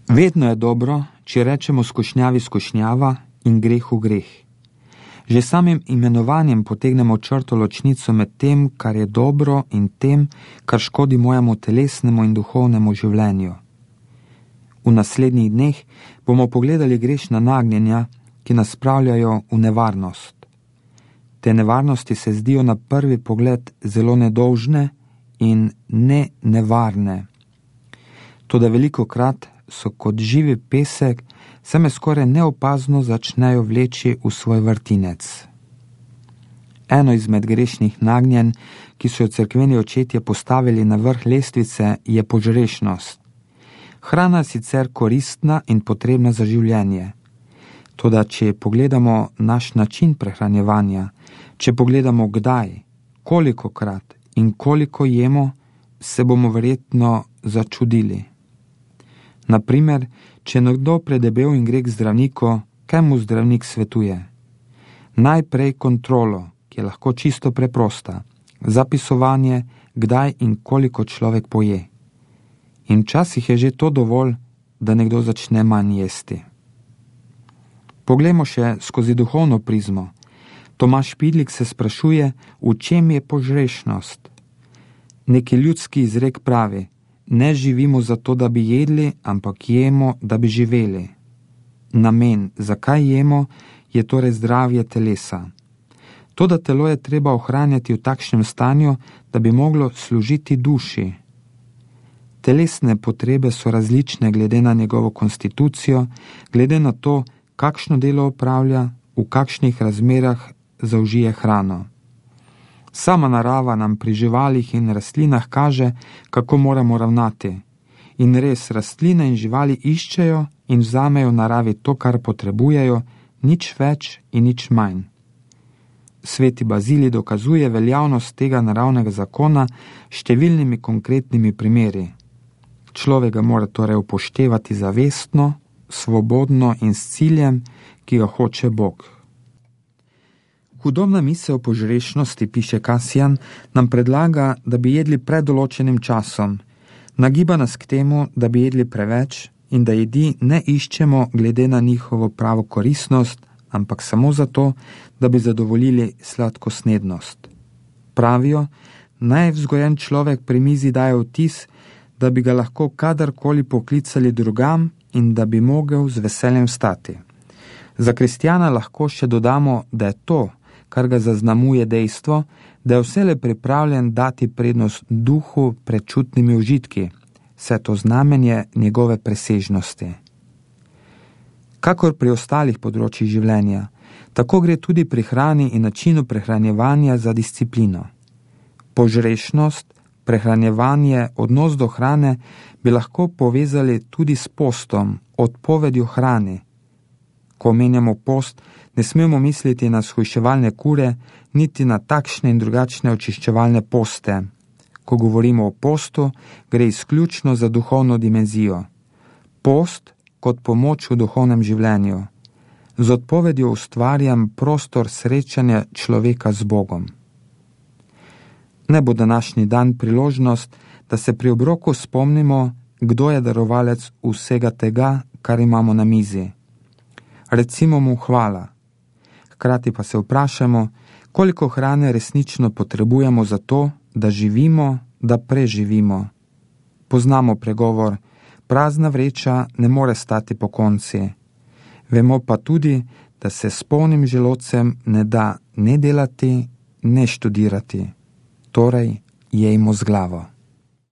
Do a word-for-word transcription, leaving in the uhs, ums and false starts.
Vedno je dobro, če rečemo skušnjavi skušnjava in grehu greh. Že samim imenovanjem potegnemo črto ločnico med tem, kar je dobro, in tem, kar škodi mojemu telesnemu in duhovnemu življenju. V naslednjih dneh bomo pogledali grešna nagnjenja, ki nas spravljajo v nevarnost. Te nevarnosti se zdijo na prvi pogled zelo nedolžne in ne nevarne. Toda velikokrat so kot živi pesek, se me skoraj neopazno začnejo vleči v svoj vrtinec. Eno izmed grešnih nagnjenj, ki so jo cerkveni očetje postavili na vrh lestvice, je požrešnost. Hrana je sicer koristna in potrebna za življenje. Toda če pogledamo naš način prehranjevanja, če pogledamo kdaj, kolikokrat in koliko jemo, se bomo verjetno začudili. Naprimer, če nekdo predebel in gre k zdravniku, kaj mu zdravnik svetuje? Najprej kontrolo, ki je lahko čisto preprosta, zapisovanje, kdaj in koliko človek poje. In včasih je že to dovolj, da nekdo začne manj jesti. Poglejmo še skozi duhovno prizmo. Tomaž Pidlik se sprašuje, v čem je požrešnost. Neki ljudski izrek pravi: ne živimo zato, da bi jedli, ampak jemo, da bi živeli. Namen, zakaj jemo, je torej zdravje telesa. Toda telo je treba ohranjati v takšnem stanju, da bi moglo služiti duši. Telesne potrebe so različne glede na njegovo konstitucijo, glede na to, kakšno delo opravlja, v kakšnih razmerah zaužije hrano. Sama narava nam pri živalih in rastlinah kaže, kako moramo ravnati. In res, rastline in živali iščejo in vzamejo v naravi to, kar potrebujejo, nič več in nič manj. Sveti Bazilij dokazuje veljavnost tega naravnega zakona številnimi konkretnimi primeri. Človek ga mora torej upoštevati zavestno, svobodno in s ciljem, ki ga hoče Bog. Hudobna misel o požrešnosti, piše Kasijan, nam predlaga, da bi jedli pred določenim časom. Nagiba nas k temu, da bi jedli preveč in da jedi ne iščemo glede na njihovo pravo koristnost, ampak samo zato, da bi zadovoljili sladkosnednost. Pravijo, naj vzgojen človek pri mizi daje vtis, da bi ga lahko kadarkoli poklicali drugam in da bi mogel z veseljem stati. Za kristjana lahko še dodamo, da je to, kar ga zaznamuje dejstvo, da je vselej pripravljen dati prednost duhu pred čutnimi užitki, vse to znamenje njegove presežnosti. Kakor pri ostalih področjih življenja, tako gre tudi pri hrani in načinu prehranjevanja za disciplino. Požrešnost, prehranjevanje, odnos do hrane bi lahko povezali tudi s postom, odpovedjo hrani. Ko omenjamo post, ne smemo misliti na shujševalne kure, niti na takšne in drugačne očiščevalne poste. Ko govorimo o postu, gre izključno za duhovno dimenzijo. Post kot pomoč v duhovnem življenju. Z odpovedjo ustvarjam prostor srečanja človeka z Bogom. Ne bo današnji dan priložnost, da se pri obroku spomnimo, kdo je darovalec vsega tega, kar imamo na mizi. Recimo mu hvala. Hkrati pa se vprašamo, koliko hrane resnično potrebujemo za to, da živimo, da preživimo. Poznamo pregovor, prazna vreča ne more stati pokonci. Vemo pa tudi, da se s polnim želodcem ne da ne delati, ne študirati. Torej, jejmo z glavo.